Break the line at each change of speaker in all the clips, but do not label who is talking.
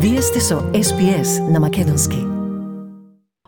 Вие сте со SPS на македонски.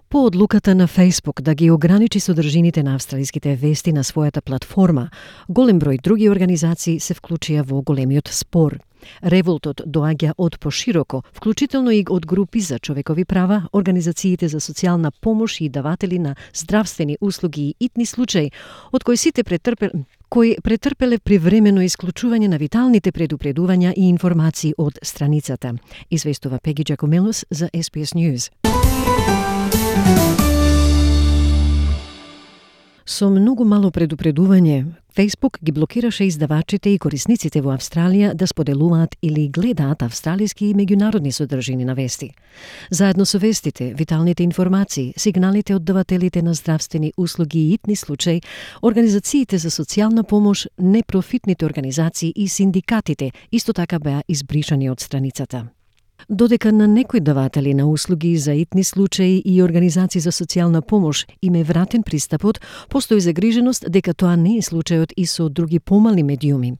По одлуката на Facebook да ги ограничи содржините на австралиските вести на својата платформа, голем број други организации се вклучија во големиот спор. Револтот доаѓа од пошироко, вклучително и од групи за човекови права, организациите за социјална помош и даватели на здравствени услуги и итни случаи, од кои сите претрпеле привремено исклучување на виталните предупредувања и информации од страницата. Известува Пеги Джакомелос за SPS News. Со многу мало предупредување, Facebook ги блокираше издавачите и корисниците во Австралија да споделуваат или гледаат австралиски и меѓународни содржини на вести. Заедно со вестите, виталните информации, сигналите од давателите на здравствени услуги и итни случаи, организациите за социјална помош, непрофитните организации и синдикатите исто така беа избришани од страницата. Додека на некои даватели на услуги за итни случаи и организации за социјална помош им е вратен пристапот, постои загриженост дека тоа не е случајот и со други помали медиуми.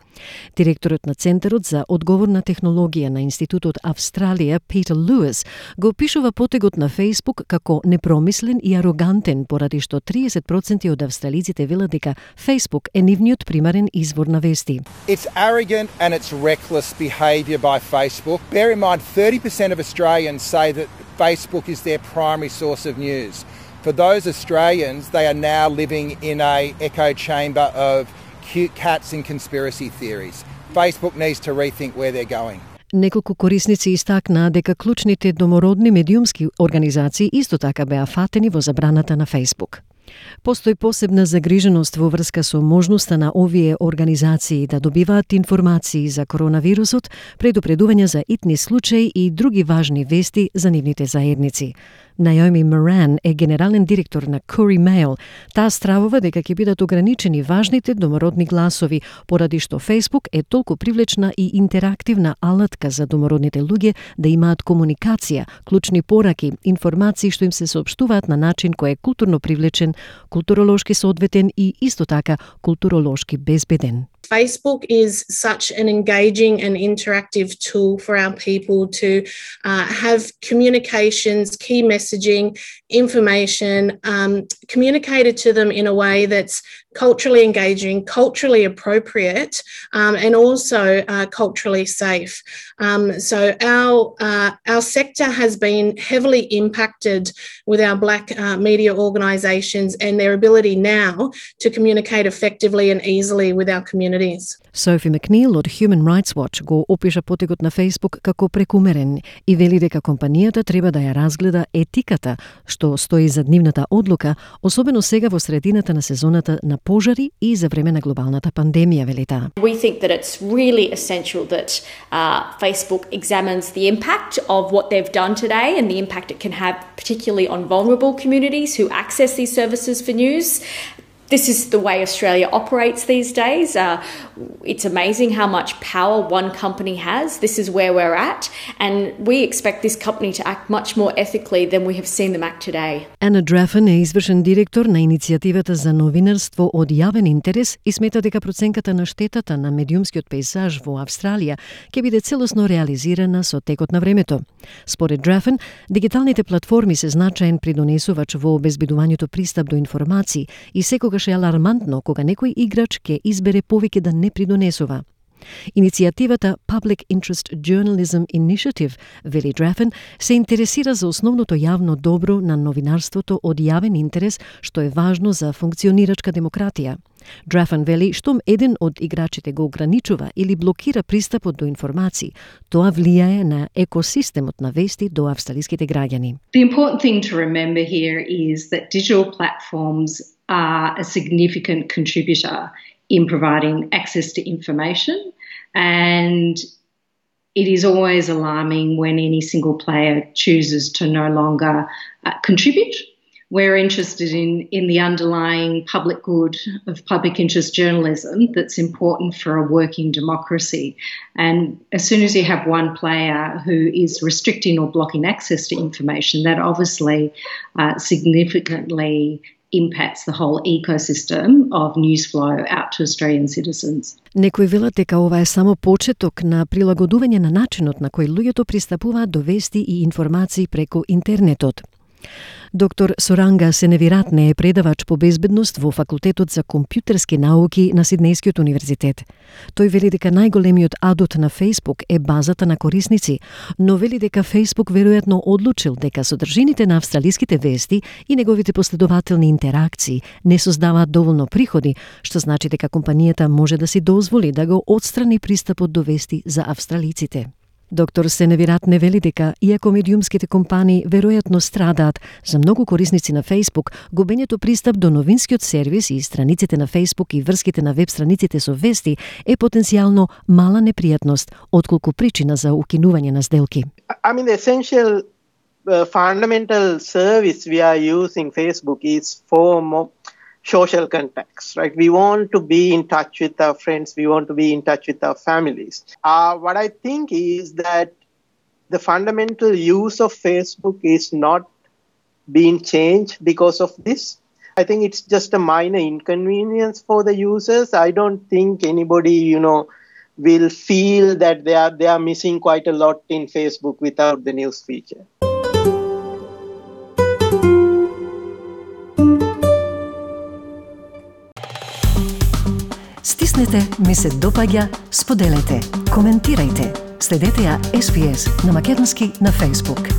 Директорот на Центарот за одговорна технологија на Институтот Австралија, Питер Луис, го опишува потегот на Facebook како непромислен и арогантен, поради што 30% од австралиците велат дека Facebook е нивниот примарен извор на вести.
It's arrogant and it's reckless behaviour by Facebook. Bear in mind, 30% of Australians say that Facebook is their primary source of news. For those Australians, they are now living in an echo chamber of cute cats and conspiracy theories. Facebook needs to rethink where they're going.
Неколку корисници истакнаа дека клучните домородни медиумски организации исто така беа фатени во забраната на Facebook. Постои посебна загриженост во врска со можноста на овие организации да добиваат информации за коронавирусот, предупредувања за итни случаи и други важни вести за нивните заедници. Наоми Моран е генерален директор на Courier Mail. Таа стравува дека ќе бидат ограничени важните домородни гласови, поради што Facebook е толку привлечна и интерактивна алатка за домородните луѓе да имаат комуникација, клучни пораки, информации што им се соопштуваат на начин кој е културно привлечен, културолошки соодветен и исто така културолошки безбеден.
Facebook is such an engaging and interactive tool for our people to have communications, key messaging, information communicated to them in a way that's culturally engaging, culturally appropriate, and also culturally safe. So our sector has been heavily impacted with our Black media organisations and their ability now to communicate effectively and easily with our communities.
Софи Макнил од Human Rights Watch го опиша потегот на Facebook како прекумерен и вели дека компанијата треба да ја разгледа етиката што стои зад нивната одлука, особено сега во средината на сезоната на пожари и за време на глобалната пандемија, вели таа.
We think that it's really essential that Facebook examines the impact of what they've done today and the impact it can have particularly on vulnerable communities who access these services for news. This is the way Australia operates these days. It's amazing how much power one company has. This is where we're at, and we expect this company to act much more ethically than we have seen them act today.
Anna Draffen е извршен директор на иницијативата за новинарство од јавен интерес и смета дека проценката на штетата на медиумскиот пейзаж во Австралија ќе биде целосно реализирана со текот на времето. Според Draffen, дигиталните платформи се значаен придонесувач во обезбедувањето пристап до информации и секогаш е алармантно кога некој играч ќе избере повеќе да не придонесува. Иницијативата Public Interest Journalism Initiative, вели Draffen, се интересира за основното јавно добро на новинарството од јавен интерес, што е важно за функционирачка демократија. Draffen вели штом еден од играчите го ограничува или блокира пристапот до информации, тоа влијае на екосистемот на вести до австралиските граѓани.
The important thing to remember here is that digital platforms are a significant contributor in providing access to information, and it is always alarming when any single player chooses to no longer contribute We're interested in the underlying public good of public interest journalism that's important for a working democracy. And as soon as you have one player who is restricting or blocking access to information, that obviously significantly impacts the whole ecosystem of news flow out to Australian citizens.
Некои велат дека ова е само почеток на прилагодување на начинот на кој луѓето пристапуваат до вести и информации преку интернетот. Доктор Суранга Сеневиратне е предавач по безбедност во Факултетот за компјутерски науки на Сиднејскиот универзитет. Тој вели дека најголемиот адут на Facebook е базата на корисници, но вели дека Facebook веројатно одлучил дека содржините на австралиските вести и неговите последователни интеракции не создаваат доволно приходи, што значи дека компанијата може да си дозволи да го отстрани пристапот до вести за австралиците. Доктор Сеневиратне вели дека, иако медиумските компании веројатно страдаат, за многу корисници на Facebook, губењето пристап до новинскиот сервис и страниците на Facebook и врските на веб страниците со вести е потенцијално мала непријатност, отколку причина за укинување на сделки.
I mean, the essential fundamental service we are using Facebook is for more social contacts, right? We want to be in touch with our friends. We want to be in touch with our families. What I think is that the fundamental use of Facebook is not being changed because of this. I think it's just a minor inconvenience for the users. I don't think anybody, will feel that they are missing quite a lot in Facebook without the news feature.
Стиснете, ми се допаѓа, споделете, коментирајте. Следете ја SPS на Македонски на Facebook.